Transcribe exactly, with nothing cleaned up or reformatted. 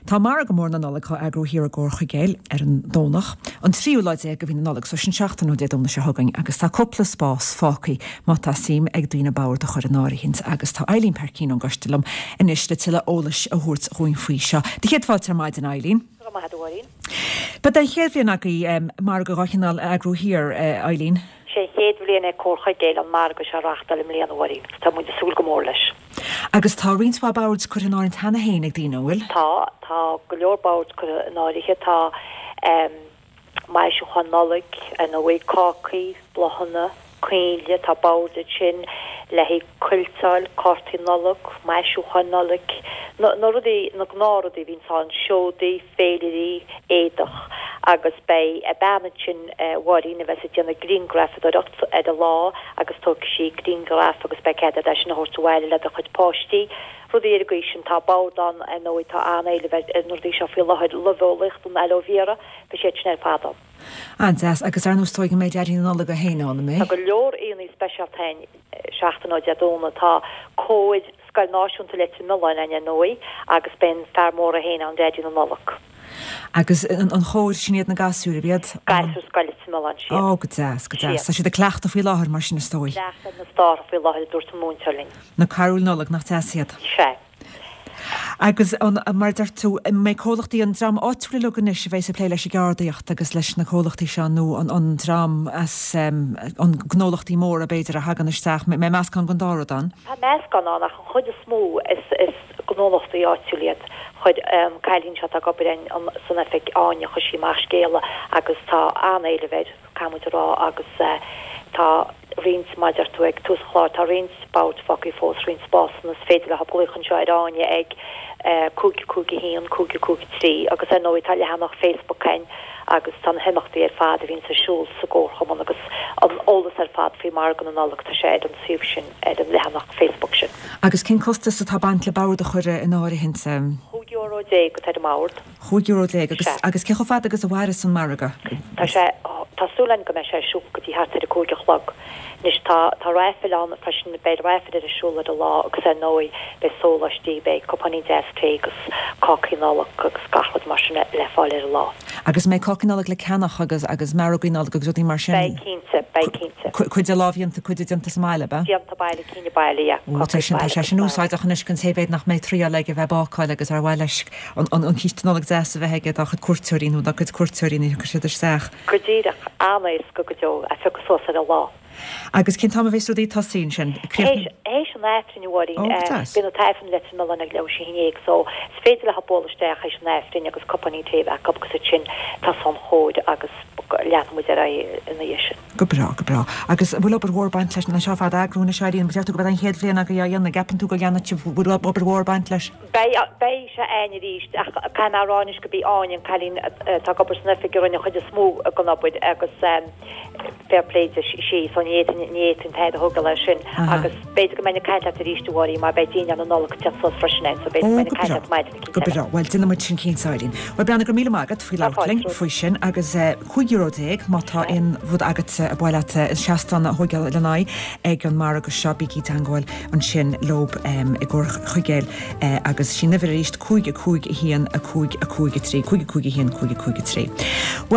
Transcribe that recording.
Tá margadh mór na Nollag á eagrú thiar i gComhar Chuigéil ar an Domhnach, an tríú lá déag de mhí na Nollag, so sin seachtain ó Dé Domhnaigh seo chugainn, agus tá cúpla spás fágtha má tá suim ag daoine bord a chur in áirithint agus tá Eileen Peircín ón gcoiste liom anois le tuilleadh eolais a thabhairt dhúinn faoi seo. Do chéad fáilte ar maidin Eileen. Go raibh maith agat a Mháirín. Ba den chéad bhliain agaibh margadh dá chineál a eagrú thiar, Eileen. Sé an chéad bhliain é Comhar Chuigéil an margadh seo a reáchtáil i mbliana, a Mháirín, agus tá muid ag súil go mór leis. Agus tá roinnt mhaith boird curtha in áirithint cheana féin ag daoine, an bhfuil? Tá, tá go leor boird curtha in áirithe. Tá maisiúcháin Nollag, ar ndóigh, cácaí, bláthanna, coinnle, tá boird ansin le haghaidh cuilteáil, cártaí Nollag, maisiúcháin Nollag, na na rudaí, na gnáthrudaí a bhíonns ann, seodaí, féilirí, éadach agus beidh bean ansin, a Mháirín, a bheas ag déanamh grianghrafadóireacht ar an lá agus tógfaidh sí grianghraf agus beidh cead agat é sin a thabhairt abhaile le do chuid páistí, rudaí ar an gcaoi sin. Tá bord ann, ar ndóigh, tá an-éileamh ar na rudaí seo faoi láthair, luibheolaíocht, an aloe vera, beidh siad sin ar fad ann. An-deas, agus ar ndóigh is dóigh go mbeidh Daidí na Nollag é féin ann, an mbeidh? Tá go leor aíonna speisialta ann seachtain ó Dé Domhnaigh. Tá cór Scoil Náisiúnta Leitir Mealláin ann ar ndóigh agus beidh an fear mór é féin ann, Daidí na Nollag. Agus an chór, sin iad na gasúir, ab iad? Gasúir Scoil Leitir Mealláin, siad. Ó, go deas, go deas. Tá siad ag cleachtadh faoi láthair mar sin is dóigh. Cleachtadh ar na stártha faoi láthair a dúirt an múinteoir linn. Na carúil Nollag, nach deas iad? Sea. Agus an, mar a deir tú, an mbeidh comhlachtaí, an dream áitiúil uilig anois a bheas ag plé leis an gceardaíocht agus leis na comhlachtaí seo nó an an dream as an gnólachtaí móra b'fhéidir a thagann isteach, mbeidh meascán den dá rud ann? Tá meascán ann ach an chuid is mó is is gnólachtaí áitiúil iad. Chuir an cailín seo atá ag obair san oifig, Áine, chuir sí amach scéala agus tá an-éileamh air. caithfidh muid a rá agus tá roinnt, mar a deir tú ag tús an chláir, tá roinnt bord fágtha fós, roinnt spásanna, is féidir leo glaoch anseo ar Áine ag cúig cúig a haon, cúig cúig a trí agus ar ndóigh tá leathanach Facebook againn agus tá na himeachtaí ar fad a bhíonns ar siúl sa gComharchumann agus an eolas ar fad faoi Mhargadh na Nollag, tá sé ar an suíomh sin, ar an leathanach Facebook sin. Agus cén costas atá ag baint le bord a chur in áirithint? Chúig euro déag atá ar an mbord. Chúig euro déag. Agus, agus cé chomh fada agus a mhairfeas an margadh? Tá sé, tá súil againn go mbeidh sé ar siúl go dtí thart ar a cúig a chlog. Anois tá, tá raifil ann freisin, beidh raifil ar siúl ar an lá agus ar ndóigh beidh sóláistí, beidh cupáinín deas tae agus cácaí Nollag agus gach rud mar sin le fáil ar an lá. Agus an mbeidh cácaí Nollag le ceannach agus, agus mearógaí Nollag agus rudaí mar sin? Beidh cinnte, beidh cinnte. Cuid de lámhdhéanta, cuid de déanta sa mbaile, ab ea? Déanta baile, cinn baile, yeah. Ó, tá sin, tá sé sin úsáideach anois don té b'fhéidir nach mbeidh triall aige bheith ag bácáil agus ar mhaith leis an císte Nollag deas a bheith aige dá chuid cuairteoirí nó dá cuid cuairteoirí nuair a thiocfaidh siad isteach. Go díreach, an-éasca go deo a phiocadh suas ar an lá. Agus cén t-am a bheas rudaí ag tosaí ansin? Théis, théis an Aifrinn, a Mháirín. Ó, go deas. Bíonn an tAifreann i Leitir Mealláin ag leathuair théis a haon déag so is féidir leo bualadh isteach théis an Aifrinn agus cupáinín tae a bheith acu agus ansin tosóidh an chóir agus leanfaidh muid ar aghaidh ina dhiaidh sin. Go breá, go breá. Agus an bhfuil obair mhór ag baint leis na seo ar fad a eagrú anois, Eileen? Deir tú gurb é an chéad bhliain agaibh á dhéanamh. An gceapann tú go leanfaidh sibh, bhfuil obair mhór ag baint leis? Beidh, beidh sé a'ainn arís ach caithfidh mé a rá anois gurb í Áine, an cailín atá ag obair san oifig a rinne an chuid is mó den obair agus fair play di, sí, so ní fhéadfainn, ní fhéadfainn tada a thógáil air sin agus b'fhéidir go mbeinn ag caint leat arís a Mháirín mar beidh dinnéar na Nollag ag teacht suas freisin a'ainn so b'fhéidir go mbeinn ag caint leat maidin Go breá. Bhuel, déanfaidh muid sin cinnte, Eileen. Bhuel, Breandán, go raibh míle maith agat faoi labhairt linn faoi sin agus cúig euro déag má tá aon rud agat ar mhaith leat seastán a thógáil lena aghaidh ag an margadh seo, bígí i dteangmháil ansin leob i gComhar Chuigéil agus sin uimhir arís, cúig a cúig a haon a cúig a cúig a trí, cúig a cúig a haon cúig a cúig a trí.